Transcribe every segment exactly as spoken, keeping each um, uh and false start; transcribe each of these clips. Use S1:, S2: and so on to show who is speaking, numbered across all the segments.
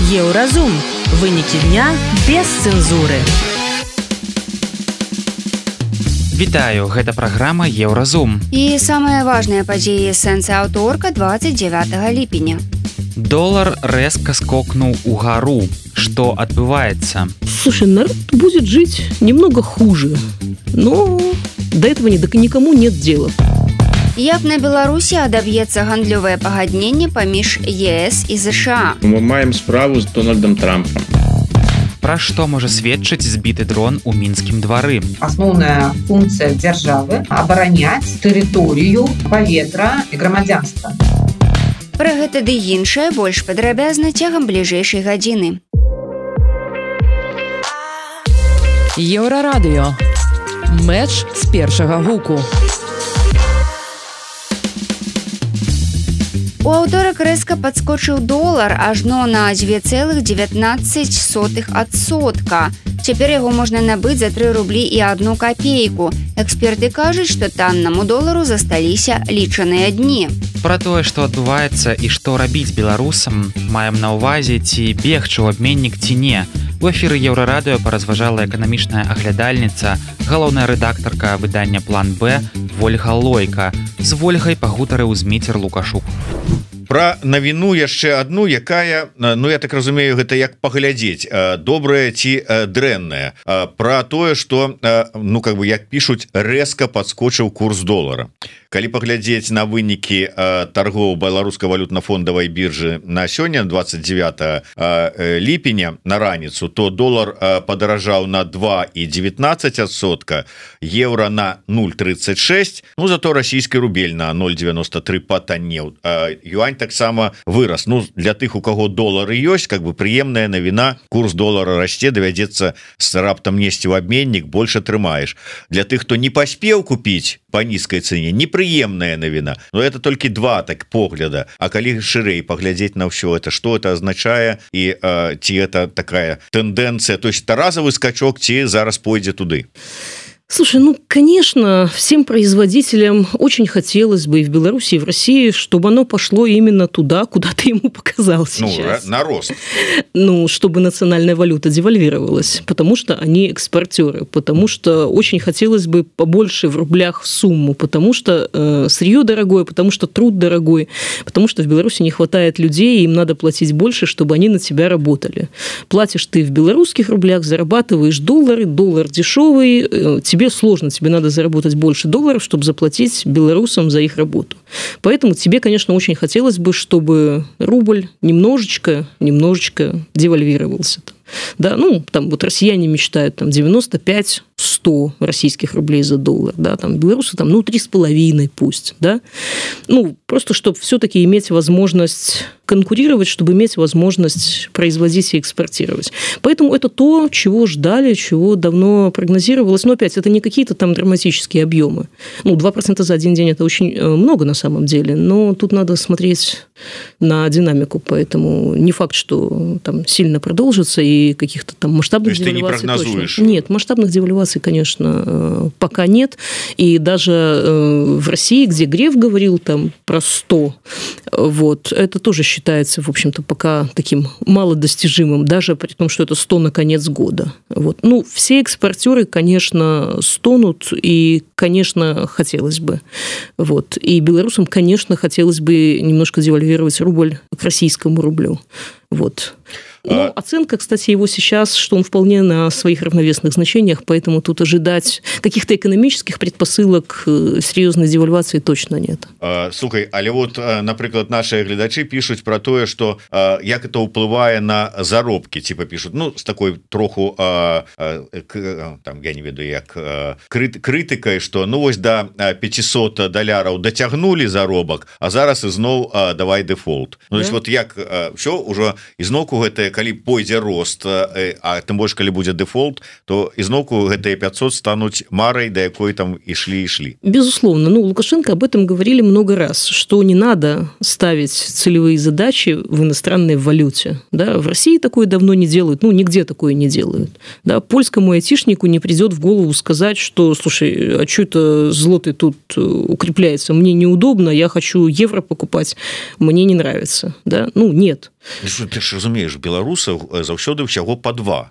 S1: Еўразум. Вынікі дня без цэнзуры.
S2: Вітаю, гэта праграма Еўразум.
S3: І самыя важныя падзеі сэнса аўторка двадцать девятого ліпеня.
S2: Долар рэзка скокнуў угару. Что отбывается?
S4: Слушай, народ будет жить немного хуже, но до этого никому нет дела.
S3: Як на Беларусі адаб'ецца гандлёвае пагадненне паміж ЕС і ЗША?
S5: Мы маем справу з Дональдом Трампом.
S2: Пра што можа сведчыць збіты дрон у мінскім двары?
S6: Асноўная функцыя дзяржавы – абараняць тэрыторыю, паветра і грамадзянства.
S3: Пра гэта ды іншае больш падрабязна цягам бліжэйшай гадзіны.
S1: Еўрарадыё. Мэч з першага гуку.
S3: У аўторак рэзка падскочыў долар ажно на дзве цэлых дзевятнаццаць сотых адсотка. Цяпер яго можна набыць за тры рублі і адну капейку. Эксперты кажуць, што таннаму долару засталіся лічаныя дні.
S2: Пра тое, што адбываецца і што рабіць беларусам, маем на ўвазе, ці бегчы ў абменнік ці не. У эфіры Еўрарадыё паразважала эканамічная аглядальніца, галоўная рэдактарка выдання «План Б» Вольга Лойка. З Вольгай пагутарыў Зміцер Лукашук.
S7: Пра навіну яшчэ адну, якая, ну я так разумею, гэта як паглядзець, добрая ці дрэнная. Пра тое, што, ну как бы як пішуць, рэзка падскочыў курс долара. Калі паглядзець на вынікі торгоў беларускай валютна-фондавай біржы на сёння, двадцать девятого ліпеня на раніцу, то долар падаражаў на два і дзевятнаццаць адсотка, еўра на ноль тридцать шесть, ну зато расійскі рубель на ноль девяносто три патаннеў. Юань таксама вырас. Ну для тых, у каго долары ёсць, как бы прыемная навіна, курс долара расце, давядзецца с раптам несці ў абменнік, больш атрымаеш. Для тых, хто не паспеў купіць по нізкай цэне, непрыемная навіна. Но это толькі два так погляда. А калі шырэй паглядзець на ўсё это, что это азначае і э, ці это такая тэндэнцыя, то есть таразавы скачок, ці зараз пойдзе туды?
S4: Слушай, ну, конечно, всем производителям очень хотелось бы и в Беларуси, и в России, чтобы оно пошло именно туда, куда ты ему показал сейчас.
S7: Ну, на рост.
S4: Ну, чтобы национальная валюта девальвировалась, потому что они экспортеры, потому что очень хотелось бы побольше в рублях сумму, потому что э, сырье дорогое, потому что труд дорогой, потому что в Беларуси не хватает людей, и им надо платить больше, чтобы они на тебя работали. Платишь ты в белорусских рублях, зарабатываешь доллары, доллар дешевый, э, тебе Тебе сложно, тебе надо заработать больше долларов, чтобы заплатить белорусам за их работу. Поэтому тебе, конечно, очень хотелось бы, чтобы рубль немножечко, немножечко девальвировался. Да, ну, там вот россияне мечтают там девяносто пять - сто российских рублей за доллар, да, там белорусы там, ну, три с половиной пусть, да. Ну, просто чтобы все-таки иметь возможность конкурировать, чтобы иметь возможность производить и экспортировать. Поэтому это то, чего ждали, чего давно прогнозировалось. Но опять, это не какие-то там драматические объемы. Ну, два процента за один день – это очень много на самом деле, но тут надо смотреть на динамику, поэтому не факт, что там сильно продолжится, и каких-то там масштабных девальваций.
S7: То есть ты не прогнозуешь?
S4: Точно. Нет, масштабных девальваций, конечно, пока нет. И даже в России, где Греф говорил там про сто, вот, это тоже считается, в общем-то, пока таким малодостижимым, даже при том, что это сто на конец года. Вот. Ну, все экспортеры, конечно, стонут, и, конечно, хотелось бы. Вот. И белорусам, конечно, хотелось бы немножко девальвировать рубль к российскому рублю. Вот. Ну, оценка, кстати, его сейчас, что он вполне на своих равновесных значениях, поэтому тут ожидать каких-то экономических предпосылок серьезной девальвации точно нет.
S7: А, слухай, але вот, например, наши глядачи пишут про то, что а, як это уплывае на заробки, типа пишут, ну, с такой троху, а, а, к, там, я не ведаю, як а, крит, критикой, что, ну, ось до пятисот доляров дотягнули заробок, а зараз изноў а, давай дефолт. Ну, то есть, вот як, а, все, уже изноўку гэта калі пойдзе рост, а тым больш калі будзе дефолт, то изноўку гэтыя пятьсот стануць марай, до якой там ішлі ішлі.
S4: Безусловно. Ну, Лукашенко об этом говорили много раз, что не надо ставить целевые задачи в иностранной валюте. Да? В России такое давно не делают, ну, нигде такое не делают. Да? Польскому айтишнику не придет в голову сказать, что, слушай, а что это злотый тут укрепляется, мне неудобно, я хочу евро покупать, мне не нравится. Да? Ну, нет.
S7: Ты ж разумееш, беларусаў заўсёды ўсяго па два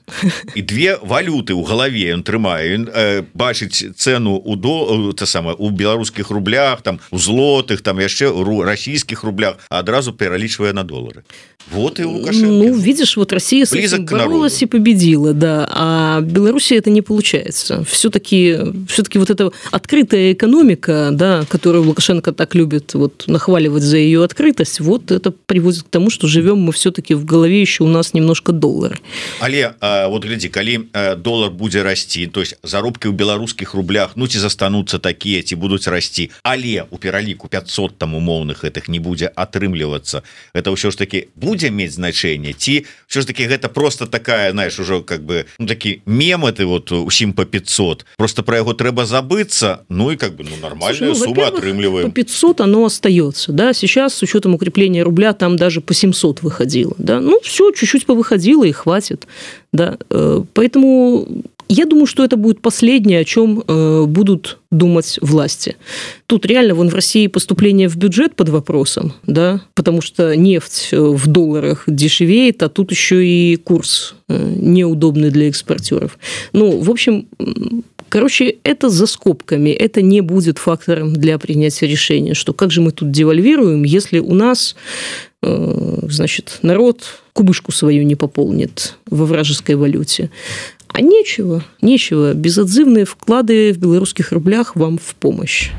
S7: і две валюты ў галаве ён трымае, ён э, бачыць цэну у до та самае у беларускіх рублях, там у злотых, там яшчэ у расійскіх рублях, а адразу пералічвае на долары. Вот и Лукашенко.
S4: Ну, видишь, вот Россия с этим боролась и победила, да, а в Беларуси это не получается. Все-таки, все-таки вот эта открытая экономика, да, которую Лукашенко так любит вот нахваливать за ее открытость, вот это приводит к тому, что живем мы все-таки в голове еще у нас немножко доллар.
S7: Але а, вот гляди, коли доллар будет расти, то есть заробки в белорусских рублях, ну, ці застанутся такие, ці будут расти, але у пераліку пятьсот там умовных этих не будет отрымливаться, это все ж таки будет иметь значение, ці все ж таки гэта просто такая, знаешь, уже как бы ну, такие мемы ты вот усім по пятьсот, просто про его трэба забыться, ну и как бы ну нормальная Слушай, ну, сумма отрымливаем.
S4: По пятьсот оно остается, да, сейчас с учетом укрепления рубля там даже по семьсот выходило, да, ну все, чуть-чуть повыходило и хватит, да, поэтому я думаю, что это будет последнее, о чем э, будут думать власти. Тут реально вон в России поступление в бюджет под вопросом, да, потому что нефть в долларах дешевеет, а тут еще и курс э, неудобный для экспортеров. Ну, в общем, короче, это за скобками, это не будет фактором для принятия решения, что как же мы тут девальвируем, если у нас, э, значит, народ кубышку свою не пополнит во вражеской валюте. А нечего, нечего. Безотзывные вклады в белорусских рублях вам в помощь.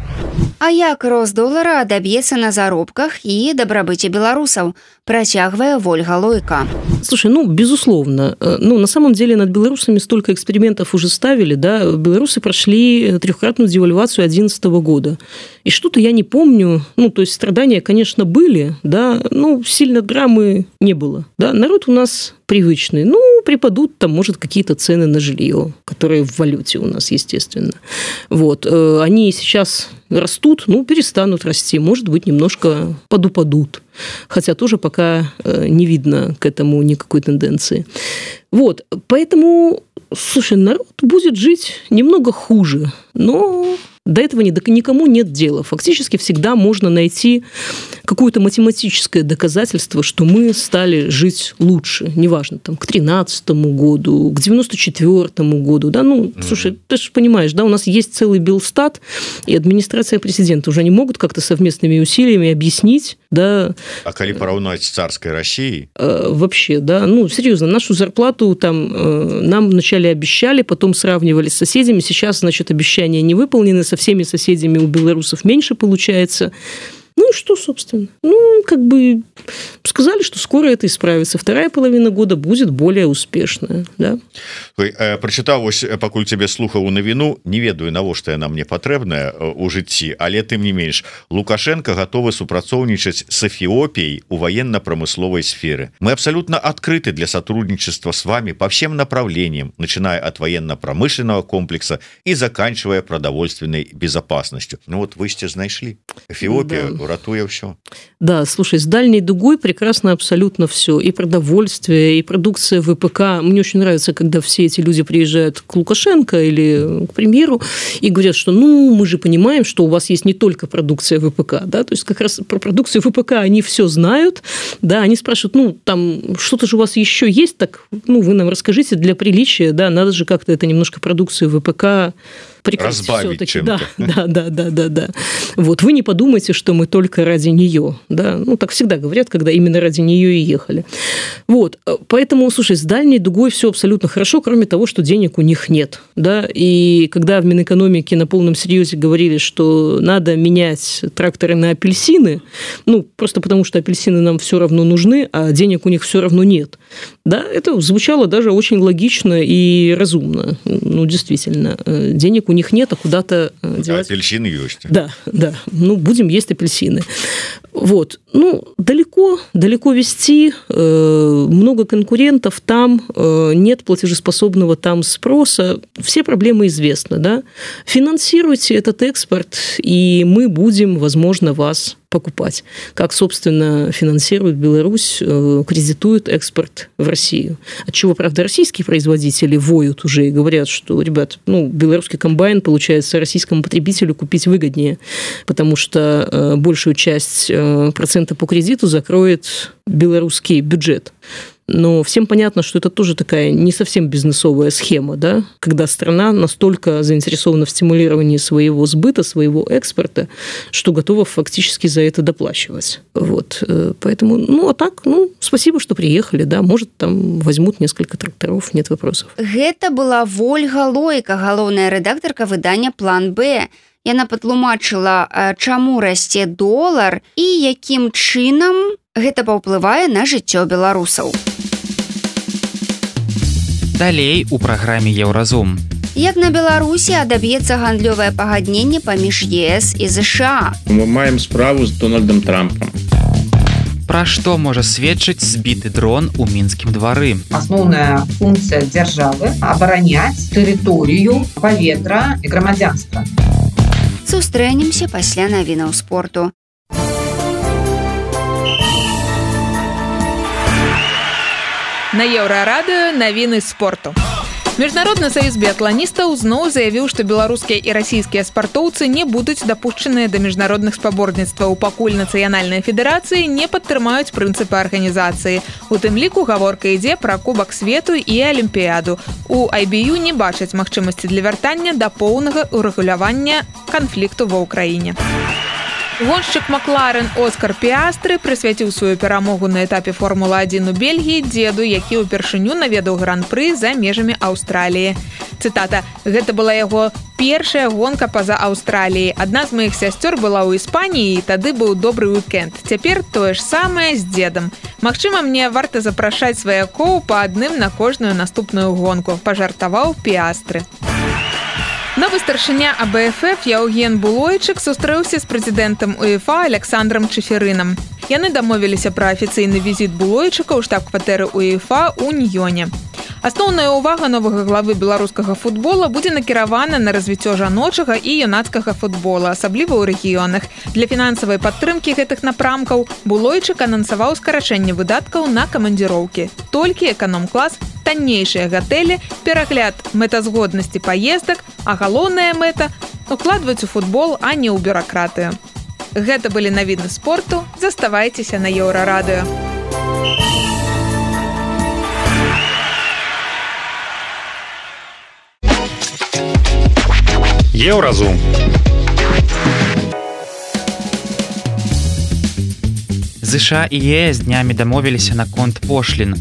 S3: А як рост долара адаб'ецца на заробках і дабрабыце беларусаў, працягвае Вольга Лойка.
S4: Слушай, ну, безусловно. Ну, на самом деле над белорусами столько экспериментов уже ставили, да. Белорусы прошли трехкратную девальвацию две тысячи одиннадцатого года. И что-то я не помню. Ну, то есть страдания, конечно, были, да, но сильно драмы не было. Да. Народ у нас привычный. Ну, припадут там, может, какие-то цены на жилье, которые в валюте у нас, естественно. Вот. Они сейчас растут, ну, перестанут расти. Может быть, немножко подупадут. Хотя тоже пока не видно к этому никакой тенденции. Вот. Поэтому, слушай, народ будет жить немного хуже, но до этого никому нет дела. Фактически всегда можно найти какое-то математическое доказательство, что мы стали жить лучше. Неважно, там, к тринадцатому году, к девяносто четвёртому году. Да? Ну, mm-hmm. слушай, ты же понимаешь, да, у нас есть целый Белстат, и администрация президента уже не могут как-то совместными усилиями объяснить, да.
S7: А коли поравнать с царской Россией?
S4: Э, вообще, да. Ну, серьезно, нашу зарплату там э, нам вначале обещали, потом сравнивали с соседями. Сейчас, значит, обещания не выполнены, со всеми соседями у белорусов меньше получается. Ну и что, собственно? Ну, как бы сказали, что скоро это исправится. Вторая половина года будет более успешная. Да?
S7: Ой, э, прочитал, ось, пакуль тебе слухаў у навіну, не ведаю, навошта яна мне патрэбная у жыцці, але тым не менш, Лукашенко готовы супрацоўнічаць с Эфиопией у военно-промысловой сфере. Мы абсолютно открыты для сотрудничества с вами по всем направлениям, начиная от военно-промышленного комплекса и заканчивая продовольственной безопасностью. Ну вот вы сте знайшли. Эфиопия... Да. Ратуя все.
S4: Да, слушай, с дальней дугой прекрасно абсолютно все. И продовольствие, и продукция ВПК. Мне очень нравится, когда все эти люди приезжают к Лукашенко или к премьеру и говорят, что ну, мы же понимаем, что у вас есть не только продукция ВПК. Да? То есть как раз про продукцию ВПК они все знают. Да? Они спрашивают, ну, там что-то же у вас еще есть, так ну, вы нам расскажите для приличия. Да? Надо же как-то это немножко продукцию ВПК
S7: разбавить чем-то.
S4: Да, да, да, да, да. Вот, вы не подумайте, что мы только ради нее, да, ну, так всегда говорят, когда именно ради нее и ехали. Вот, поэтому, слушай, с дальней дугой все абсолютно хорошо, кроме того, что денег у них нет, да, и когда в Минэкономике на полном серьезе говорили, что надо менять тракторы на апельсины, ну, просто потому что апельсины нам все равно нужны, а денег у них все равно нет, да, это звучало даже очень логично и разумно, ну, действительно, денег у них нет, а куда-то девать.
S7: А апельсины есть.
S4: Да, да. Ну, будем есть апельсины. Вот. Ну, далеко, далеко везти, э, много конкурентов там, э, нет платежеспособного там спроса. Все проблемы известны, да. Финансируйте этот экспорт, и мы будем, возможно, вас покупать, как, собственно, финансирует Беларусь, кредитует экспорт в Россию. Отчего, правда, российские производители воют уже и говорят, что, ребят, ну, белорусский комбайн, получается, российскому потребителю купить выгоднее, потому что большую часть процента по кредиту закроет белорусский бюджет. Но всем понятно, что это тоже такая не совсем бизнесовая схема, да? Когда страна настолько заинтересована в стимулировании своего сбыта, своего экспорта, что готова фактически за это доплачивать. Вот. Поэтому, ну, а так, ну, спасибо, что приехали, да, может, там возьмут несколько тракторов, нет вопросов.
S3: Гэта была Вольга Лойка, галоўная рэдактарка выдання «План Б». Яна патлумачыла, чаму расце долар і якім чынам гэта паўплывае на жыццё беларусаў.
S2: Далей у праграме Еўразум.
S3: Як на Беларусі адаб'ецца гандлёвае пагадненне паміж ЕС і ЗША?
S5: Мы маем справу з Дональдом Трампом.
S2: Пра што можа сведчыць збіты дрон у мінскім двары?
S6: Асноўная функцыя дзяржавы – абараняць тэрыторыю, паветра і грамадзянства.
S3: Сустрэнемся пасля навінаў спорту.
S8: На Еўрарадыё навіны спорту. Міжнародны саюз біятланістаў зноў заявіў, што беларускія і расійскія спартоўцы не будуць дапушчаныя да міжнародных спаборніцтваў, пакуль нацыянальныя федэрацыі не падтрымаюць прынцыпы арганізацыі. У тым ліку гаворка ідзе пра кубак свету і алімпіяду. У ай би ю не бачаць магчымасці для вяртання да поўнага урэгулявання канфлікту ва ўкраіне. Гоншчык Макларен Оскар Піастры прысвяціў сваю перамогу на этапе Формулы адзін у Бельгіі дзеду, які ўпершыню наведаў гран-пры за межамі Аўстраліі. Цытата: «Гэта была яго першая гонка па-за Аўстраліяй. Адна з маіх сясцёр была ў Іспаніі, і тады быў добры уикенд. Цяпер тое ж самае з дзедам. Магчыма, мне варта запрашаць сваякоў па адным на кожную наступную гонку», пажартаваў Піастры. Новы старшыня а бэ эф эф Яўген Булойчык сустрэўся з прэзідэнтам УЕФА Александром Чеферынам. Яны дамовіліся пра афіцыйны візіт Булойчыка ў штаб-кватэры УЕФА ў Ньёне. Асноўная ўвага новага главы беларускага футбола будзе накіравана на развіццё жаночага і юнацкага футбола, асабліва ў рэгіёнах. Для фінансавай падтрымкі гэтых напрамкаў Булойчык анансаваў скарачэнне выдаткаў на камандзіроўкі. Толькі эканом-клас, таннейшыя гатэлі, перагляд мэтазгоднасці паездак, а галоўная мэта – укладваць у футбол, а не ў бюракратыю. Гэта былі навіны спорту. Заставайцеся на Еўрарадыё.
S9: Еўразум.
S2: ЗША і ЕС днямі дамовіліся наконт пошлін.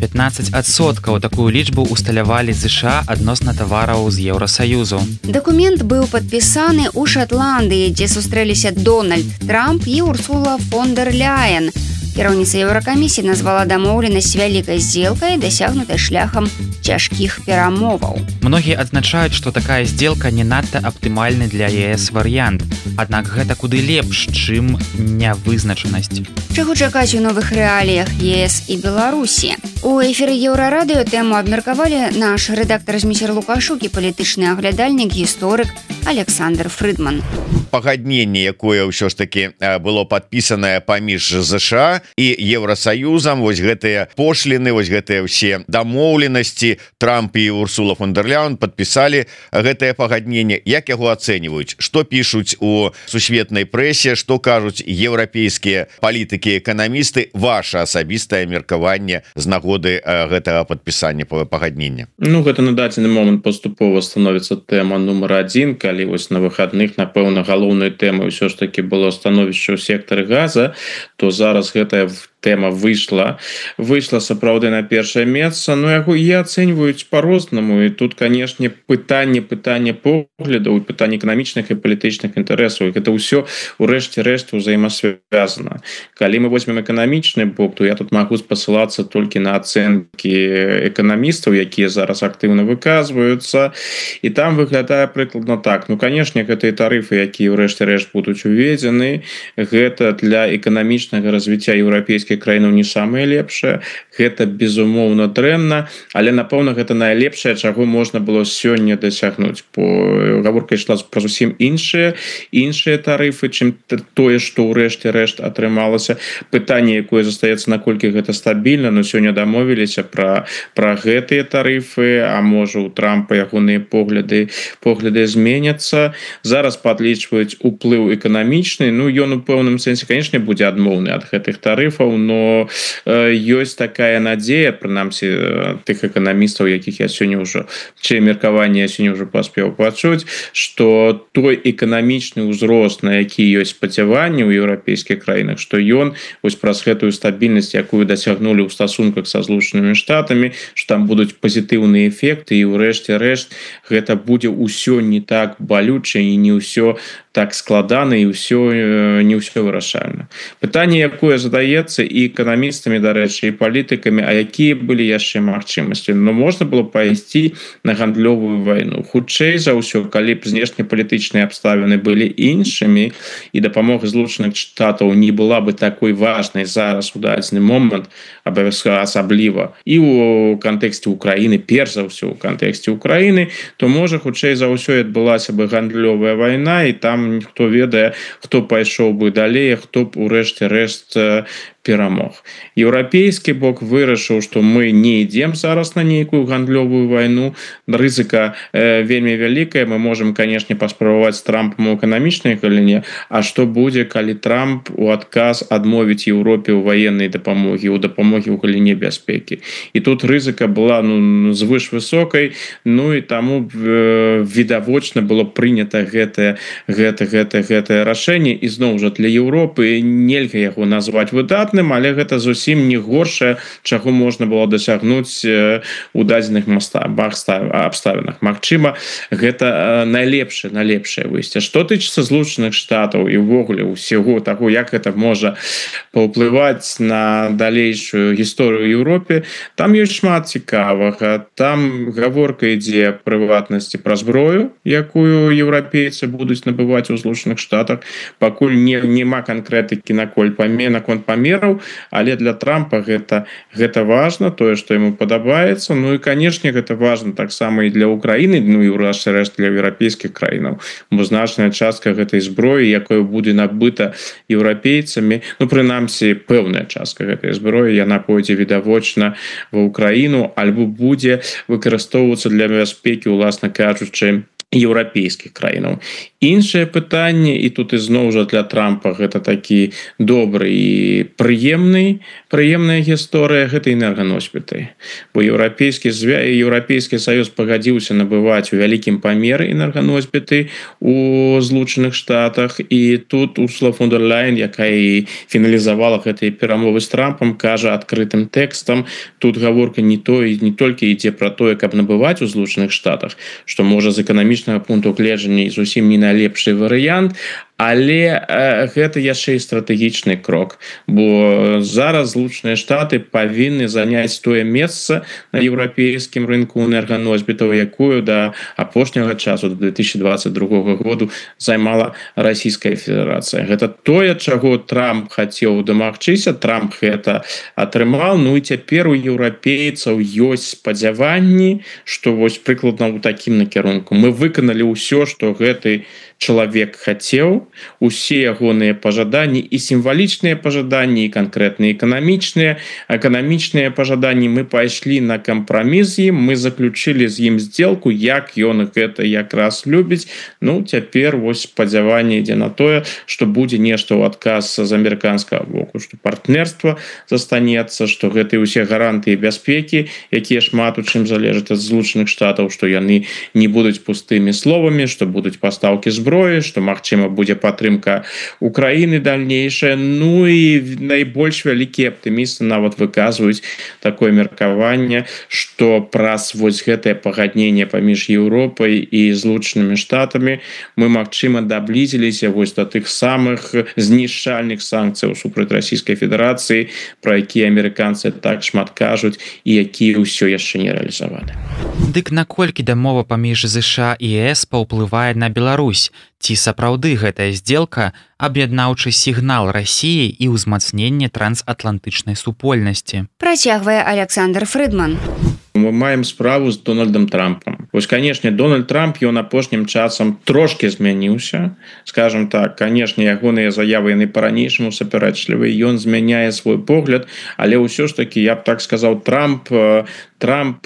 S2: пятнаццаць адсоткаў такую лічбу усталявалі ЗША адносна тавараў з Еўрасаюзу.
S3: Дакумент быў падпісаны ў Шатландыі, дзе сустрэліся Дональд Трамп і Урсула фон дер Ляйен. Кіраўніца Еўракамісіі назвала дамоўленасць вялікай здзелкай, дасягнутай шляхам цяжкіх перамоваў.
S2: Многія адзначаюць, што такая здзелка не надта аптымальны для ЕС варыянт. Аднак гэта куды лепш, чым нявызначанасць.
S3: Чаго чакаць у новых рэаліях ЕС і Беларусі? У эфіры Еўрарадыё тэму абмеркавалі наш рэдактар-зміцер Лукашук і палітычны аглядальнік, гісторык Александр Фрыдман.
S7: Пагадненне, якое ўсё ж таки было падпісанае паміж ЗША і Еўрасаюзам, вось гэтыя пошліны, вось гэтыя ўсе дамоўленасці, Трамп і Урсула фон дер Ляйен падпісалі гэтае пагадненне. Як яго ацэньваюць? Што пішуць у сусветнай прэсе, што кажуць еўрапейскія палітыкі, эканамісты? Ваша асабістае меркаванне з нагоды гэтага падпісання пагаднення?
S5: Ну, гэта на дадзены момант паступова становіцца тэма нумар адзін, калі вось на выхадных, напэўна, галоўнай тэмай ўсё ж таки было становішча ў сектары газа, то зараз гэтая тэма выйшла выйшла сапраўды на першае месца. Но яго і ацэньваюць по-рознаму, і тут, канешне, пытанне пытання поглядаў, пытанне эканамічных і палітычных інтарэсаў, гэта ўсё у рэшце рэшт узаемасвязана. Калі мы возьмем эканамічны бок, то я тут магу спасылацца толькі на ацэнкі эканамістаў, якія зараз актыўна выказваюцца, і там выглядае прыкладна так. Ну, канешне, гэтыя тарыфы, якія ў рэшце рэшт будуць уведзены, гэта для эканамічнага развіцця еўрапейскай еўрапейскіх краінаў не самыя лепшыя, гэта безумоўна дрэнна, але напэўна гэта найлепшае, чаго можна было сёння дасягнуць. Бо гаворка ішла пра зусім іншыя іншыя тарыфы, чым тое, што ўрэшце рэшт атрымалася. Пытанне, якое застаецца, наколькі гэта стабільна, но сёння дамовіліся пра пра гэтыя тарыфы, а можа у Трампа ягоныя погляды погляды зменяцца. Зараз падлічваюць уплыў эканамічны, ну ён у пэўным сэнсе, канешне, будзе адмоўны ад гэтых тарыфаў, но э, ёсць такая надзея, прынамсі тых эканамістаў, якіх я сёння ўжо чые меркаванне я сёння ўжо паспеў пачуць, што той эканамічны ўзрост, на які ёсць спадзяванні ў еўрапейскіх краінах, што ён вось праз гэтую стабільнасць, якую дасягнулі ў стасунках са Злучанымі Штатамі, што там будуць пазітыўныя эфекты, і ўрэшце рэшт гэта будзе ўсё не так балюча і не ўсё так складана, і ўсё не ўсё вырашальна. Пытанне, якое задаецца і эканамістамі, дарэчы, і палітыкамі, а якія былі яшчэ магчымасці? Ну, можна было пайсці на гандлёвую вайну. Хутчэй за ўсё, калі б знешнепалітычныя абставіны былі іншымі і дапамога Злучаных Штатаў не была бы такой важнай зараз у дадзены момант, асабліва і ў кантэксце Украіны, перш за ўсё ў кантэксце Украіны, то можа хутчэй за ўсё адбылася бы гандлёвая вайна, і там хто ведае, хто пайшоў бы далей, хто б урэшце рэшт перамог. Еўрапейскі бок вырашыў, што мы не ідзем зараз на нейкую гандлёвую вайну. Рызыка э, вельмі вялікая. Мы можам, канешне, паспрабаваць з Трампам у эканамічнай галіне, а што будзе, калі Трамп у адказ адмовіць Еўропе ў ваеннай дапамогі, у дапамогі ў галіне бяспекі. І тут рызыка была ну, звыш высокай, ну і таму э, відавочна было прынята гэтае гэта, гэта, гэтае рашэнне. І зноў жа для Еўропы нельга яго назваць выдатным, але гэта зусім не горшае, чаго можна было дасягнуць у дадзеных абставінах. Магчыма, гэта найлепшае найлепшае выйсце. Што тычыцца Злучаных Штатаў і ўвогуле ўсяго таго, як гэта можа паўплываць на далейшую гісторыю Еўропе, там ёсць шмат цікавага. Там гаворка ідзе прыватнасці пра зброю, якую еўрапейцы будуць набываць у Злучаных Штатах. Пакуль не, нема канкрэтыкі наколь памер, наконт памераў, але для Трампа гэта, гэта важна, тое, што яму падабаецца. Ну і, канешне, гэта важна таксама і для Украіны, ну і ўрэшце рэшт для еўрапейскіх краінаў. Бо значная частка гэтай зброі, якая будзе набыта еўрапейцамі, ну, прынамсі, пэўная частка гэтай зброі, яна пойдзе відавочна ва Украіну, альбо будзе выкарыстоўвацца для бяспекі, уласна кажучы, еўрапейскіх краінаў. Іншае пытанне, і тут ізноў жа для Трампа гэта такі добры і прыемны, прыемная гісторыя, гэта энерганосьбіты. Бо еўрапейскі звя... еўрапейскі саюз пагадзіўся набываць у вялікім памеры энерганосьбіты у Злучаных Штатах, і тут Урсула фон дер Ляйен, якая і фіналізавала гэтыя перамовы з Трампам, кажа адкрытым тэкстам, тут гаворка не то, не толькі ідзе пра тое, каб набываць у Злучаных Штатах, што можа з эканамічнага пункту гледжання зусім не найлепшы варыянт, але э, гэта яшчэ і стратэгічны крок, бо зараз Злучаныя Штаты павінны заняць тое месца на еўрапейскім рынку энерганосьбітаў, якую да апошняга часу, до две тысячи двадцать другого году займала Расійская Федэрацыя. Гэта тое, чаго Трамп хацеў дамагчыся, Трамп гэта атрымаў, ну і цяпер у еўрапейцаў ёсць спадзяванні, што вось прыкладна ў такім накірунку. Мы выканалі ўсё, што гэты чалавек хацеў, усе ягоныя пажаданні і сімвалічныя пажаданні, і канкрэтныя эканамічныя, эканамічныя пажаданні, мы пайшлі на кампраміс з ім, мы заключылі з ім здзелку, як ён гэта якраз любіць. Ну, цяпер вось спадзяванне ідзе на тое, што будзе нешта ў адказ з амерыканскага боку, што партнерства застанецца, што гэтыя ўсе гарантыі бяспекі, якія шмат у чым залежаць ад Злучаных Штатаў, што яны не будуць пустымі словамі, што будуць пастаўкі зброі, што, магчыма, будзе падтрымка Украіны дальнейшая. Ну і найбольш вялікія аптымісты нават выказваюць такое меркаванне, што праз вось гэтае пагадненне паміж Еўропай і Злучанымі Штатамі мы, магчыма, даблізіліся вось да тых самых знішчальных санкцыяў супраць Расійскай Федэрацыі, пра якія амерыканцы так шмат кажуць і якія ўсё яшчэ не рэалізаваны.
S2: Дык наколькі дамова паміж ЗША і ЕС паўплывае на Беларусь? Ці сапраўды гэтая сделка аб'яднаўчы сігнал Расіі і ўзмацненне трансатлантычнай супольнасці.
S3: Працягвае Александр Фрыдман.
S5: Мы маем справу з Дональдом Трампом. Вось, канешне, Дональд Трамп ён апошнім часам трошки змяніўся. Скажем так, канешне, ягоныя заявы яны па-ранейшаму супярэчлівыя, ён змяняе свой погляд, але ўсё ж таки, я б так сказаў, Трамп Трамп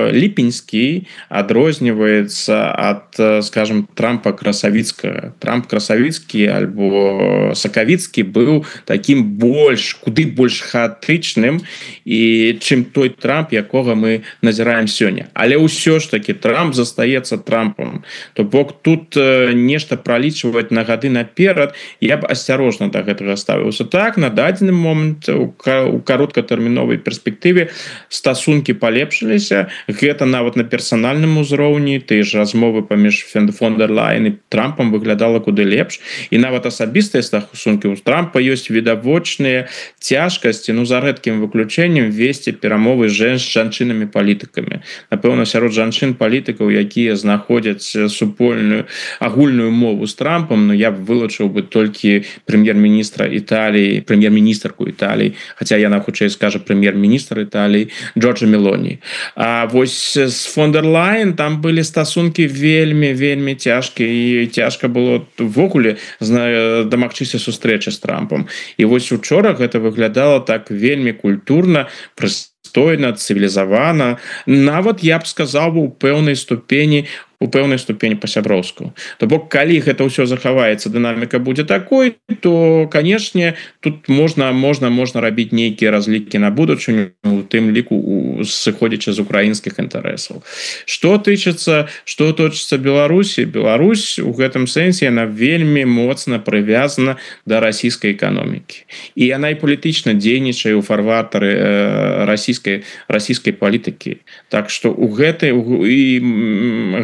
S5: ліпеньскі адрозніваецца ад, скажем, Трампа красавіцкага. Трамп красавіцкі альбо сакавіцкі быў таким больш, куды больш хаатычным, і чым той Трамп, якога мы назіраем сёння. Але ўсё ж таки Трамп застаецца Трампом. То бок тут нешта пралічваць на гады наперад, я б асцярожна да гэтага ставіўся. Так, на дадзены момант у кароткатэрміновай перспектыве стасункі палепшыліся. Гэта нават на персанальным узроўні, тыя ж размовы паміж фон дер Лайн і Трампам выглядала куды лепш. І нават асабістыя стасункі у Трампа ёсць відавочныя цяжкасці, ну за рэдкім выключэннем весці перамовы з жанчынамі палітыкамі. Напэўна, сярод жанчын-палітыкаў, якія знаходзяць супольную агульную мову з Трампам, но я б вылучыў бы толькі прэм'ер-міністра Італіі, прэм'ер-міністрку Італіі, хаця яна хутчэй скажа прэм'ер-міністр Італіі Джорджа Мелоні. А вось з фон дер Лайн там былі стасункі вельмі, вельмі цяжкія, і цяжка было ввогуле дамагчыся сустрэчы з Трампам. І вось учора гэта выглядала так вельмі культурна, прыстойна, цывілізавана, нават, я б сказаў, у пэўнай ступені у пэўнай ступені па-сяброўску. То бок, калі гэта ўсё захаваецца, дынаміка будзе такой, то, канешне, тут можна, можна, можна рабіць нейкія разлікі на будучыню, у тым ліку сыходзячы з украінскіх інтарэсаў. Што тычыцца, што тычыцца Беларусі, Беларусь у гэтым сэнсе яна вельмі моцна прывязана да расійскай эканомікі. І яна і палітычна дзейнічае ў фарватары э, расійскай, расійскай палітыкі. Так што у гэтай і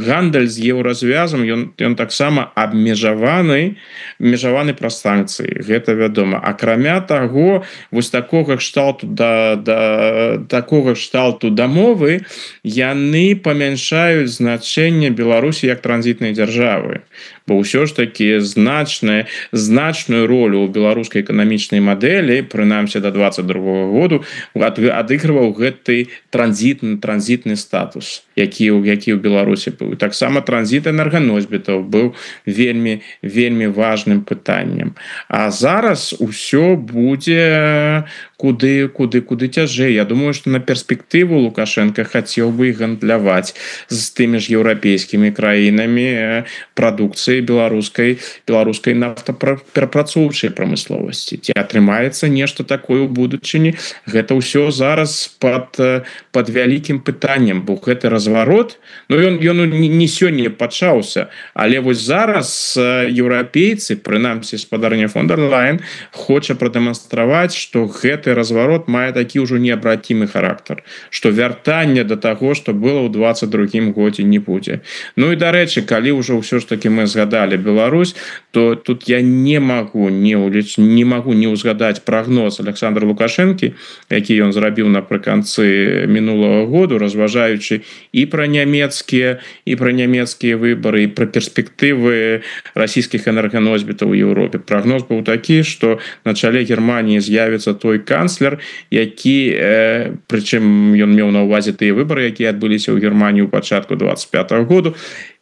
S5: гандаль з еўразвязам ён, ён таксама абмежаваны абмежаваны праз санкцыі, гэта вядома. Акрамя таго, вось такога кшталту да, да такога кшталту дамовы яны памяншаюць значэнне Беларусі як транзітнай дзяржавы. Бо ўсё ж такі значная, значную ролю ў беларускай эканамічнай мадэлі, прынамсі да двадцать другога году, адыгрываў гэты транзітны, транзітны статус, які, які ў Беларусі быў. Таксама транзіт энерганосьбітаў быў вельмі, вельмі важным пытаннем. А зараз усё будзе куды, куды, куды цяжэй. Я думаю, што на перспектыву Лукашенко хацеў бы гандляваць з тымі ж еўрапейскімі краінамі прадукцыі беларускай, беларускай нафтаперапрацоўчай прамысловасці. Ці атрымаецца нешта такое ў будучыні, гэта ўсё зараз пад, пад вялікім пытаннем, бо гэты разварот, ну ён, ён не сёння пачаўся, але вось зараз еўрапейцы, прынамсі спадарня фон дер Лайн, хоча прадэманстраваць, што гэты разварот мае такі ўжо неабратимы характар, што вяртання да таго, што было ў двадцать другім годзе, не будзе. Ну і дарэчы, калі ўжо ўсё ж таки мы згадалі Беларусь, то тут я не магу не ўліч, не магу не ўзгадаць прагноз Александра Лукашэнкі, які ён зрабіў напрыканцы мінулага году, разважаючы і пра нямецкія і пра нямецкія выбары, і пра перспектывы расійскіх энерганосьбітаў у Еўропе. Прагноз быў такі, што на чале Германіі з'явіцца той канцлер, які, э, прычым ён меў на ўвазе тыя выбары, якія адбыліся ў Германіі ў пачатку двадцать пятого году,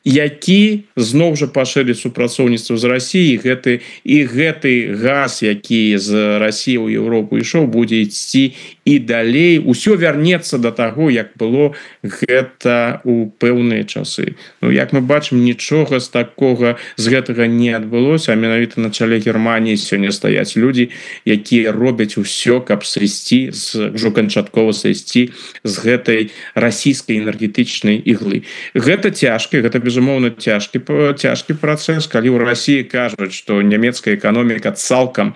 S5: які зноў жа пашырыць супрацоўніцтва з Расіяй, гэты і гэты газ, які з Расіі ў Еўропу ішоў, будзе ісці і далей. Усё вярнецца да таго, як было гэта ў пэўныя часы. Ну, як мы бачым, нічога з такога з гэтага не адбылося, а менавіта на чале Германіі сёння стаяць людзі, якія робяць усё, каб сысці з ўжо канчаткова сысці з гэтай расійскай энергетычнай іглы. Гэта цяжка, гэта безумоўна цяжкі цяжкі працэс, калі ў Расіі кажуць, што нямецкая эканоміка цалкам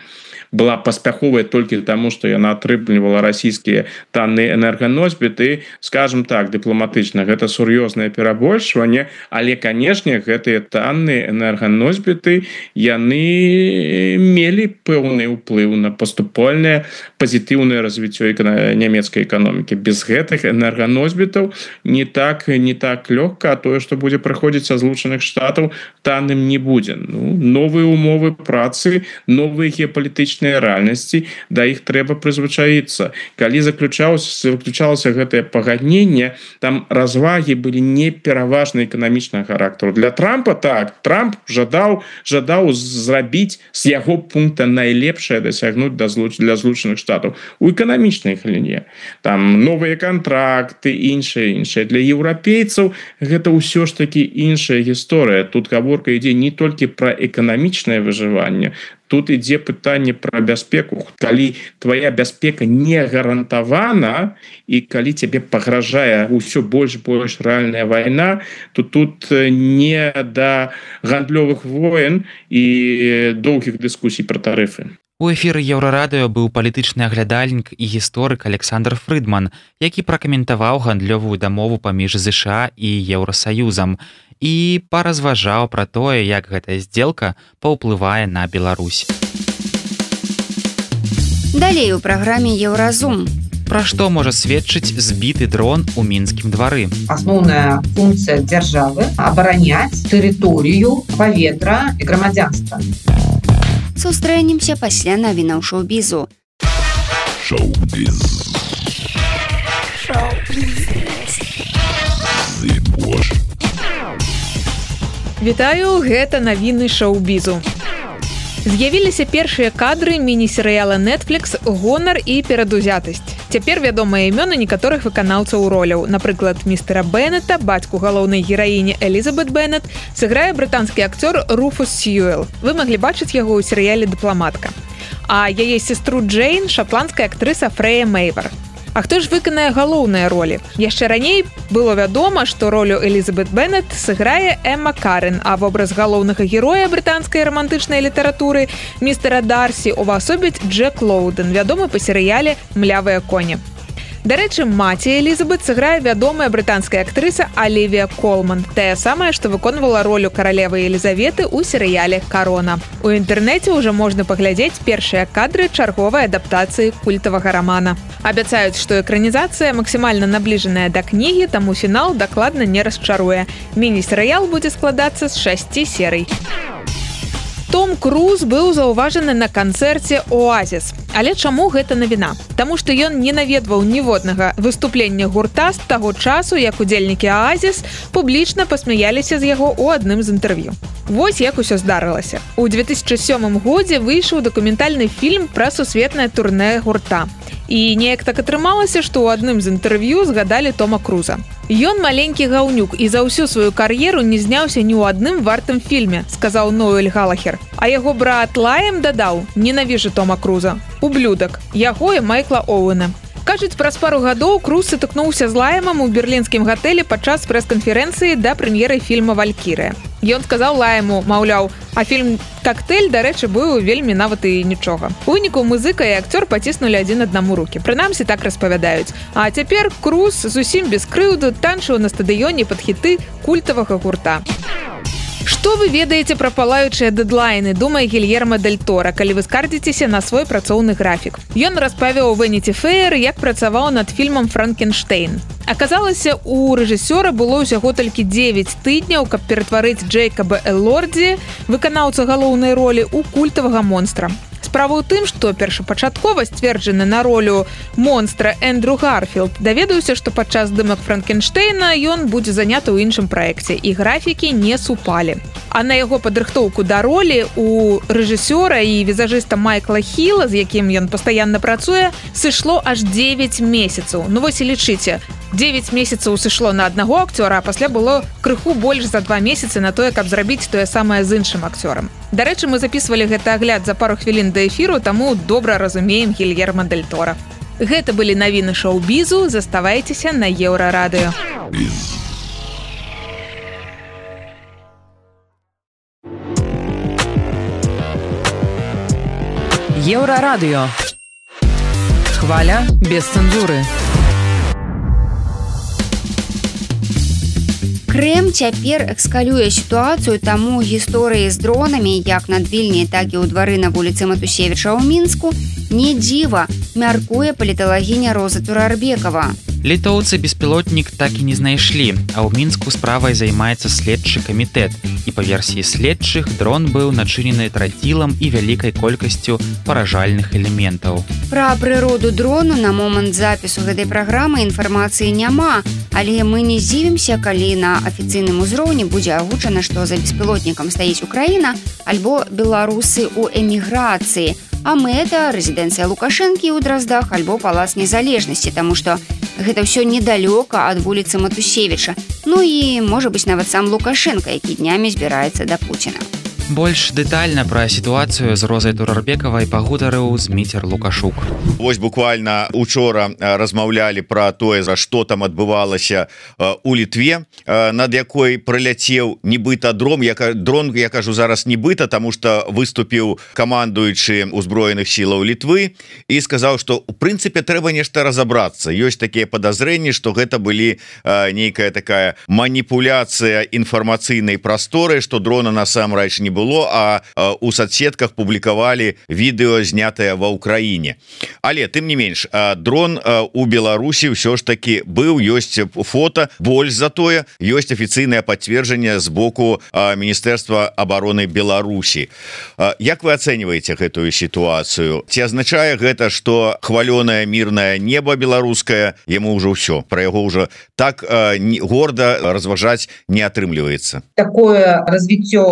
S5: была паспяховая толькі таму што яна атрымлівала расійскія танныя энерганосьбіты, скажем так, дыпламатычна, гэта сур'ёзнае перабольшванне, але канешне гэтыя танныя энерганосьбіты яны мелі пэўны ўплыў на паступальнае пазітыўнае развіццё нямецкай эканомікі. Без гэтых энерганосьбітаў не так не так лёгка, а тое, што будзе прыходзіць са Злучаных Штатаў, танным не будзе. Ну, новыя умовы працы, новыя геапалітычныя рэальнасці, да іх трэба прызвычаіцца. Калі заключалася заключалася гэтае пагадненне, там развагі былі не пераважна эканамічнага характару. Для Трампа так, Трамп жадаў жадаў зрабіць з яго пункта найлепшае дасягнуць для Злучаных Штатаў у эканамічнай галіне. Там новыя кантракты, іншае іншае. Для еўрапейцаў гэта ўсё ж такі іншая гісторыя. Тут гаворка ідзе не толькі пра эканамічнае выжыванне, тут ідзе пытанне пра бяспеку. Калі твоя бяспека не гарантавана і калі цябе пагражае ўсё больш больш рэальная вайна, то тут не да гандлёвых воен і доўгіх дыскусій пра тарыфы.
S2: У эфіры Еўрарадыё быў палітычны аглядальнік і гісторык Александр Фрыдман, які пракаментаваў гандлёвую дамову паміж ЗША і Еўрасаюзам і паразважаў пра тое, як гэтая здзелка паўплывае на Беларусь.
S3: Далей у праграме Еўразум.
S2: Пра што можа сведчыць збіты дрон у мінскім двары?
S6: Асноўная функцыя дзяржавы – абараняць тэрыторыю, паветра і грамадзянства.
S3: Сустрэнемся пасля навінаў шоу-бізу.
S9: Шоу-біз.
S8: Вітаю, гэта навіны шоу-бізу. З'явіліся першыя кадры міні-серыяла Netflix «Гонар і перадузятасць». Цяпер вядомыя імёны некаторых выканаўцаў роляў. Напрыклад, містера Беннета, бацьку галоўнай гераіні Элізабет Беннет, сыграе брытанскі акцёр Руфус Сьюэл. Вы маглі бачыць яго ў серыяле «Дыпламатка». А яе сестру Джейн – шатландская актрыса Фрэя Мэйвар. А хто ж выканае галоўныя ролі? Яшчэ раней было вядома, што ролю Элізабет Беннет сыграе Эмма Карен, а вобраз галоўнага героя брытанскай рамантычнай літаратуры містера Дарсі увасобіць Джек Лоудэн, вядомы па серыяле «Млявыя коні». Дарэчы, маці Элізабет сыграе вядомая брытанская актрыса Алівія Колман, тая самая, што выконвала ролю каралевы Елізаветы ў серыяле «Карона». У інтэрнэце ўжо можна паглядзець першыя кадры чарговай адаптацыі культавага рамана. Абяцаюць, што экранізацыя максімальна набліжаная да кнігі, таму фінал дакладна не расчаруе. Міні-серыял будзе складацца з шасці серый. Том Круз быў заўважаны на канцэрце «Оазіс». Але чаму гэта навіна? Таму што ён не наведваў ніводнага выступлення гурта з таго часу, як удзельнікі «Оазіс» публічна пасмяяліся з яго ў адным з інтэрв'ю. Вось як усё здарылася. У две тысячы сёмым годзе выйшаў дакументальны фільм пра сусветнае турнэ гурта. І неяк так атрымалася, што ў адным з інтэрв'ю згадалі Тома Круза. Ён маленькі гаўнюк і за ўсю сваю кар'еру не зняўся ні ў адным вартым фільме, сказаў Ноэль Галахер. А яго брат Лаем дадаў: «Ненавіжу Тома Круза. Ублюдак. Яго і Майкла Оуэна». Кажуць, праз пару гадоў Круз сутыкнуўся з Лаемам у берлінскім гатэлі падчас прэс-канферэнцыі да прэм'еры фільма «Валькірыя». Ён сказаў Лаему, маўляў, а фільм «Коктейль», дарэчы, быў вельмі нават і нічога. У выніку музыка і акцёр паціснулі адзін аднаму рукі. Прынамсі так распавядаюць. А цяпер Круз зусім без крыўду танчыў на стадыёне пад хіты культавага гурта. Што вы ведаеце пра палаючыя дэдлайны, думае Гільермо Дель Торо, калі вы скардзіцеся на свой працоўны графік? Ён распавіў у Vanity Fair, як працаваў над фільмам «Франкенштейн». Аказалася, у рэжысёра было ўсяго толькі дзевяць тыдняў, каб ператварыць Джэйкаба Элордзі, выканаўца галоўнай ролі, у культавага монстра. Справа ў тым, што першапачаткова сцверджаны на ролю монстра Эндрю Гарфілд даведаўся, што падчас здымак Франкенштейна ён будзе заняты ў іншым праекце, і графікі не супалі. А на яго падрыхтоўку да ролі у рэжысёра і візажыста Майкла Хіла, з якім ён пастаянна працуе, сышло аж дзевяць месяцаў. Ну вось і лічыце, дзевяць месяцаў сышло на аднаго акцёра, а пасля было крыху больш за два месяцы на тое, каб зрабіць тое самае з іншым акцёрам. Дарэчы, мы записывалі гэты агляд за пару хвілін да эфіру, таму добра разумеем Гільермо Дель Торо. Гэта былі навіны шоу-бізу, заставайцеся на Еўрарадыё.
S1: Еўрарадыё. Хваля без цэнзуры.
S3: Крэм цяпер экскалюе сітуацыю, таму гісторыі з дронамі, як над Вільняй, так і ў двары на вуліцы Матусевіча ў Мінску, не дзіва, мяркуе паліталагіня Роза Турарбекова.
S2: Літоўцы беспілотнік так і не знайшлі, а ў Мінску справай займаецца следчы камітэт. І па версіі следчых, дрон быў начынены трацілам і вялікай колькасцю паражальных элементаў.
S3: Пра прыроду дрону на момант запісу гэтай праграмы інфармацыі няма, але мы не здзівімся, калі на афіцыйным узроўні будзе агучана, што за беспілотнікам стаіць Украіна альбо беларусы ў эміграцыі, а мэта рэзідэнцыя Лукашэнкі ў Драздах альбо палац незалежнасці, таму што гэта ўсё недалёка ад вуліцы Матусевіча. Ну і, можа быць, нават сам Лукашенко, які днямі збіраецца да Пуціна.
S2: Больш дэтальна пра сітуацыю з Розай Турарбекавай пагутарыў Зміцер Лукашук.
S7: Вось буквально учора размаўлялі пра тое, за што там адбывалася у Літве, над якой прыляцеў нібыта дрон. Я, дрон, я кажу зараз нібыта, таму што выступіў камандуючы ўзброеных сілаў Літвы і сказаў, што у прынцыпе трэба нешта разабрацца. Ёсць такія падазрэнні, што гэта былі нейкая такая маніпуляцыя інфармацыйнай прасторы, што дрона насамрэч не было, а у соцсетках публікавалі відэо, знятае ва Ўкраіне. Але тым не менш, дрон у Беларусі ўсё ж таки быў, ёсць фото, больш за тое ёсць афіцыйнае пацверджанне з боку Міністэрства абароны Беларусі. Як вы ацэньваеце гэтую сітуацыю? Ці азначае гэта, што хвалёнае мірнае неба беларускае яму ўжо ўсё, пра яго ўжо так горда разважаць не атрымліваецца?
S6: Такое развіццё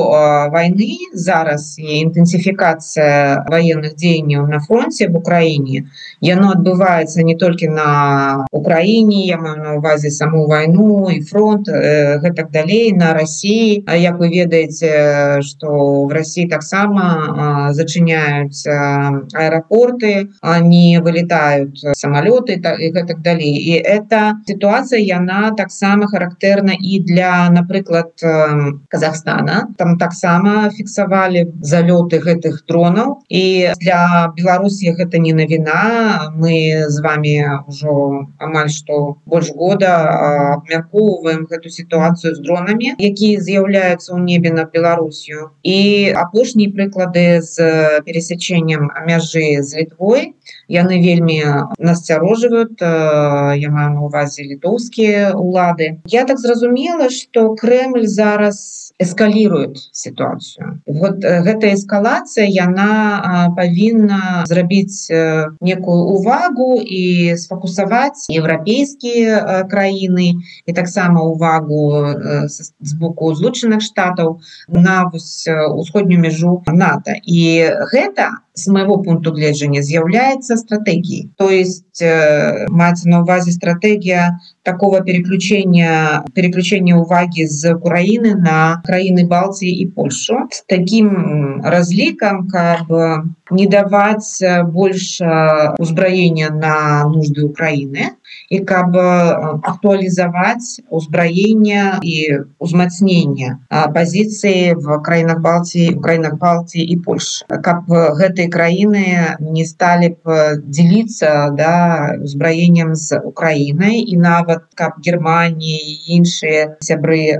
S6: войны зараз і інтэнсіфікацыя военных дзеянняў на фронте в Украине, яно адбываецца не толькі на Украине, я маю на увазе саму войну и фронт, э, гэтак далей, на России. Як вы ведаеце, что в России таксама э, зачиняются аэропорты, они вылетают самолеты и гэтак далей. И эта ситуация, яна таксама характерна и для, напрыклад, э, Казахстана. Там таксама фіксавалі залёты гэтых дронаў, і для Беларусі гэта не навіна. Мы з вами ўжо амаль што больш года абмяркоўваем гэту сітуацыю з дронамі, якія з'яўляюцца ў небе над Беларусю. І апошнія прыклады з пересячэннем мяжы з Літвой, яны вельмі насцярожваюць, я маю на увазе літоўскія улады. Я так зразумела, што Кремль зараз эскалирует ситуацию. Вот эта эскалация, яна павінна зрабіць некую увагу и сфокусовать европейские краіны и таксама увагу с боку Злучаных Штатаў на усходнюю межу НАТО. И гэта, с моего пункту гледжання, з'яўляецца стратегией. То есть маецца на увазе стратегия такого переключения, переключения уваги з Украины на краины Балтии и Польшу с таким разликом, как бы не давать больше узброения на нужды Украины и как бы актуализовать узброение и узмацнение позиции в краинах Балтии, в краинах Балтии и Польши. Как бы эти краины не стали бы делиться, да, узброением с Украиной, и нават как Германия и іншыя сябры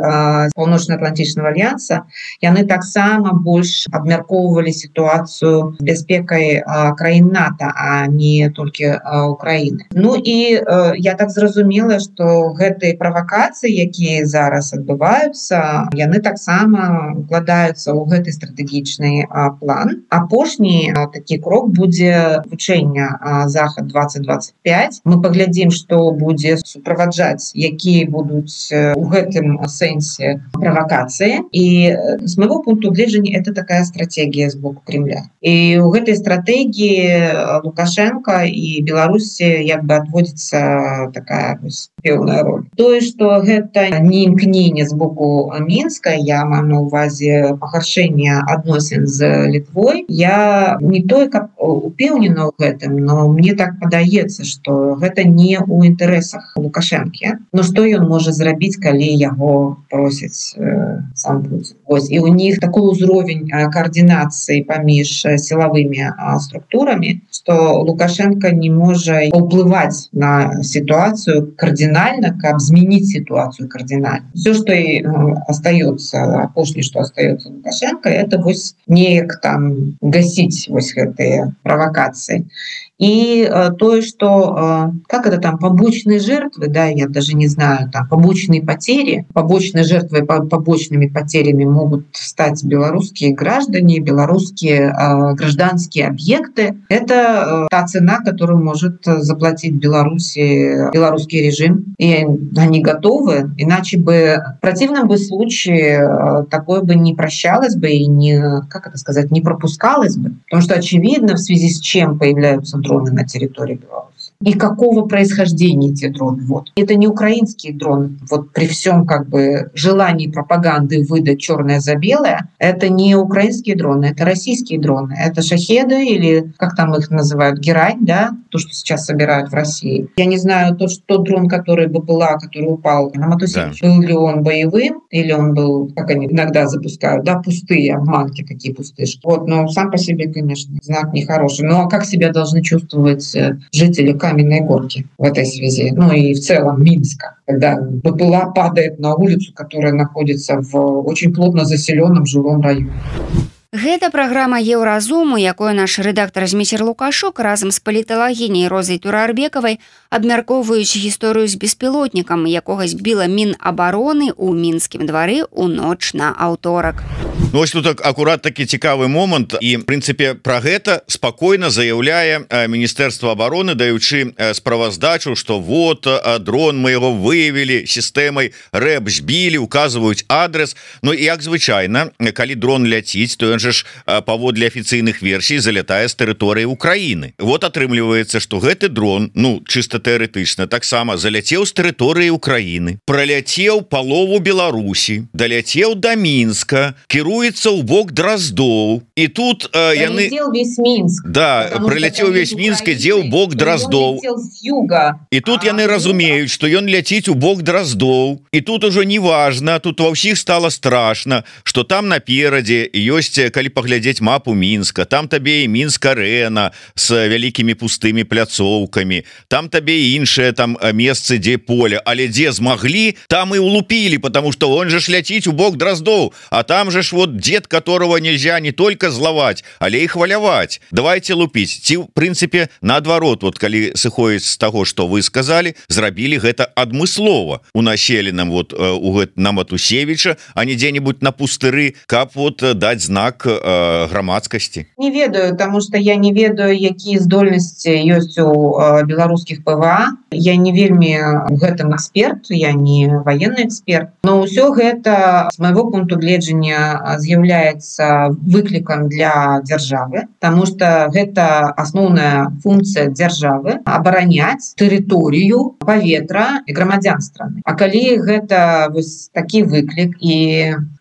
S6: Паўночна-Атлантычнага альянса, яны таксама больш абмяркоўвалі сітуацыю з бяспекай краін НАТО, а не толькі Украины. Ну и я так зразумела, што гэтыя правакацыі, якія зараз адбываюцца, яны таксама укладаюцца ў гэты стратэгічны план. Апошні такі крок будзе вучэння Захад двадцать двадцать пять. Мы паглядзім, што будзе суправаджаць, якія будуць у гэтым сэнсе правакацыі. І з майго пункту гледжання это такая стратегія з боку Кремля. І ў гэтай стратегіі Лукашенко і Беларусі як бы адводзіцца такая пэўная роль. Тое, што гэта не імкненне з боку Мінска, я маю на увазе пагаршэнне адносін з Літвой, я не той, каб упэўнена ў гэтым, но мне так падаецца, што гэта не ў інтарэсах Лукашенко. Лукашэнкі. Но што ён можа зрабіць, калі яго просіць э, сам Путин? Вось, і у них такой узровень координации паміж силовыми структурами, что Лукашенко не может уплывать на ситуацию кардинально, как изменить ситуацию кардинально. Все, что и остается, апошняе, что остается Лукашенко, это вось неяк там гасить вось гэтые провокации. И э, то, что, э, как это там, побочные жертвы, да, я даже не знаю, там, побочные потери, побочные жертвы, по, побочными потерями могут стать белорусские граждане, белорусские э, гражданские объекты. Это э, та цена, которую может заплатить Беларуси, белорусский режим. И они готовы, иначе бы, в противном бы случае э, такое бы не прощалось бы и не, как это сказать, не пропускалось бы. Потому что очевидно, в связи с чем появляются дроны на территории Беларуси. И какого происхождения эти дроны. Вот. Это не украинские дроны. Вот при всем как бы желании пропаганды выдать черное за белое, это не украинские дроны, это российские дроны. Это шахеды или, как там их называют, герань, да, то, что сейчас собирают в России. Я не знаю, тот, тот дрон, который БПЛА, который упал на Матусевич, да. Был ли он боевым, или он был, как они иногда запускают, да, пустые обманки, такие пустышки. Вот, но сам по себе, конечно, знак нехороший. Ну а как себя должны чувствовать жители Каменной Горки в этой связи? Ну и в целом Минска, когда БПЛА падает на улицу, которая находится в очень плотно заселенном жилом районе.
S3: Гэта праграма Еўразуму, якую наш рэдактар Зміцер Лукашук разам з паліталагіняй Розай Турарбекавай абмяркоўваюць гісторыю з беспілотнікам, якога збіла Мінабароны ў мінскім двары ў ноч на аўторак.
S7: Ну, ось тут акурат такі цікавы момант, і в прынцыпе пра гэта спакойна заяўляе Міністэрства абароны, даючы справаздачу, што вот дрон мы яго выявілі сістэмай рэп збілі, указваюць адрес. Ну і як звычайна, калі дрон ляціць, то ён же ж паводле афіцыйных версій залятае з тэрыторыі Украіны. Вот атрымліваецца, што гэты дрон, ну чыста тэарэтычна, таксама заляцеў з тэрыторыі Украіны, праляцеў палову Беларусі, даляцеў да Мінска, кіруецца ў бок Драздоў, і тут э, яны
S6: весь Мінск,
S7: да, прыляцеў весь Мінск, ідзе ў бок Драздоў, і тут яны разумеюць, што ён ляціць у бок Драздоў, і тут ужо не важна, тут ва ўсіх стала страшна, што там наперадзе ёсць, калі паглядзець мапу Мінска, там табе і Мінск-арэна з вялікімі пустымі пляцоўкамі, там табе і іншыя там месцы, дзе поле, але дзе змаглі, там і улупілі, потому что он же ж ляціць у бок Драздоў, а там же ж вот дед, которого нельзя не только злаваць, але і хваляваць. Давайте лупіць. Ці, в прынцыпе, наадварот, вот калі сыходзіць з таго, што вы сказалі, зрабілі гэта адмыслова у населеным вот у гэт на Матусевіча, а не дзе-нибудь на пустыры, каб вот даць знак э, грамадскасці.
S6: Не ведаю, потому что я не ведаю, якія здольнасці ёсць у э, беларускіх ПВА. Я не вельмі в гэтым эксперт, я не военный эксперт, но ўсё гэта с моего пункту гледжання з'яўляецца выклікам для дзяржавы, потому что гэта асноўная функция дзяржавы абараняць тэрыторыю, паветра і грамадзян страны. А калі гэта вось такі выклік і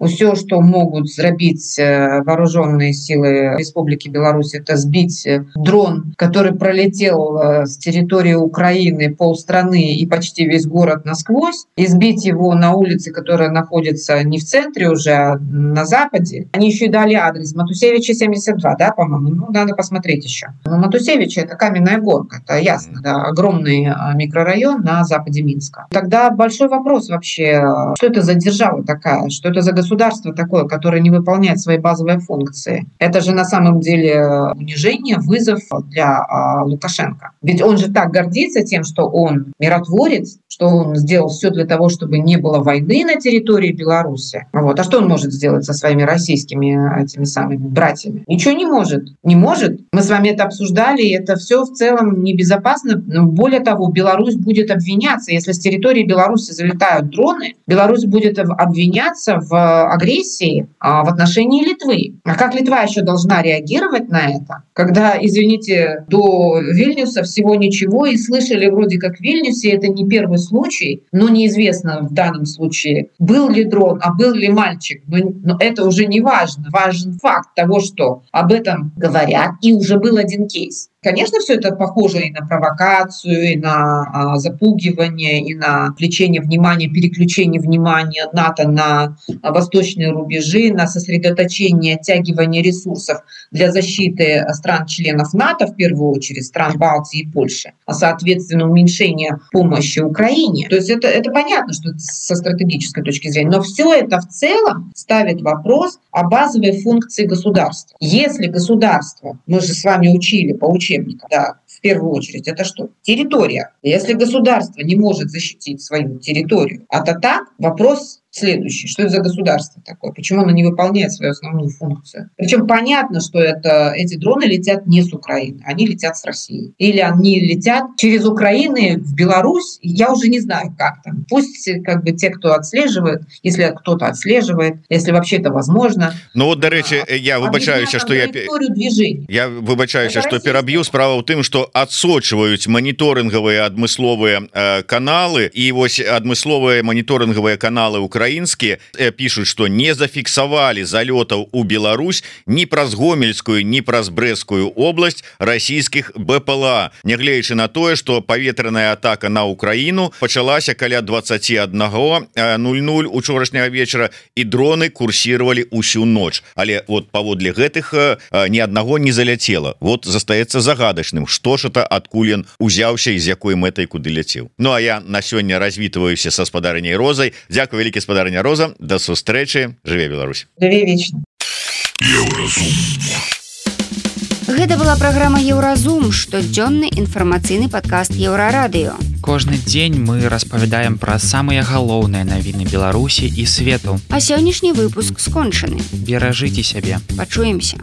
S6: ўсё, што могуць зрабіць вооруженные силы Республики Беларусь, это сбить дрон, который пролетел с территории Украины полстраны и почти весь город насквозь, и сбить его на улице, которая находится не в центре уже, а на западе. Они еще и дали адрес Матусевича семьдесят два, да, по-моему? Ну, надо посмотреть еще. Но Матусевича — это Каменная Горка, это ясно, да, огромный микрорайон на западе Минска. Тогда большой вопрос вообще, что это за держава такая, что это за государство такое, которое не выполняет свои базовые функции. Это же на самом деле унижение, вызов для а, Лукашенко. Ведь он же так гордится тем, что он миротворец, что он сделал все для того, чтобы не было войны на территории Беларуси. Вот. А что он может сделать со своими российскими этими самыми братьями? Ничего не может. Не может. Мы с вами это обсуждали, и это все в целом небезопасно. Но более того, Беларусь будет обвиняться, если с территории Беларуси залетают дроны, Беларусь будет обвиняться в агрессии а, в отношении Литвы. А как Литва еще должна реагировать на это, когда, извините, до Вильнюса всего ничего, и слышали вроде как в Вильнюсе, это не первый случай, но неизвестно в данном случае, был ли дрон, а был ли мальчик. Но, но это уже не важно. Важен факт того, что об этом говорят, и уже был один кейс. Конечно, все это похоже и на провокацию, и на а, запугивание, и на отвлечение внимания, переключение внимания НАТО на а, восточные рубежи, на сосредоточение, оттягивание ресурсов для защиты стран-членов НАТО, в первую очередь стран Балтии и Польши, а соответственно уменьшение помощи Украине. То есть это, это понятно, что со стратегической точки зрения, но все это в целом ставит вопрос о базовой функции государства. Если государство, мы же с вами учили по учебникам, да, в первую очередь, это что? Территория. Если государство не может защитить свою территорию от атак, вопрос следующий. Что это за государство такое? Почему оно не выполняет свою основную функцию? Причем понятно, что это, эти дроны летят не с Украины, они летят с России. Или они летят через Украину в Беларусь. Я уже не знаю, как там. Пусть как бы те, кто отслеживает, если кто-то отслеживает, если вообще это возможно.
S7: Ну вот, до речи, я выбачаюся, что я... Я выбачаюся, что пераб'ю. Справа ў тым, што адсочваюць маніторынгавыя адмысловыя э, каналы, і вось адмысловыя маніторынгавыя каналы Украины украінскія пишут, что не зафіксавалі залётаў у Беларусь ні праз гомельскую, ні праз брэсцкую область расійскіх БПЛА, нягледзячы на тое, что паветраная атака на Украину пачалася каля двадцати одного ноль ноль учорашняга вечара, і дроны курсировали усю ноч. Але вот паводле гэтых ни аднаго не заляцела. Вот застаецца загадачным, што ж это, адкуль ён узяўся і з якой мэтай куды ляцеў. Ну а я на сёння развітваюся са спадарыняй Розай. Дзякуй вялікі, спадарыня Роза, да сустрэчы, жыве Беларусь.
S6: Жыве вечна.
S3: Гэта была праграма Еўразум, штодзённы інфармацыйны падкаст Еўрарадыё.
S2: Кожны дзень мы распавядаем пра самыя галоўныя навіны Беларусі і свету.
S3: А сённяшні выпуск скончаны.
S2: Беражыце сябе.
S3: Пачуемся.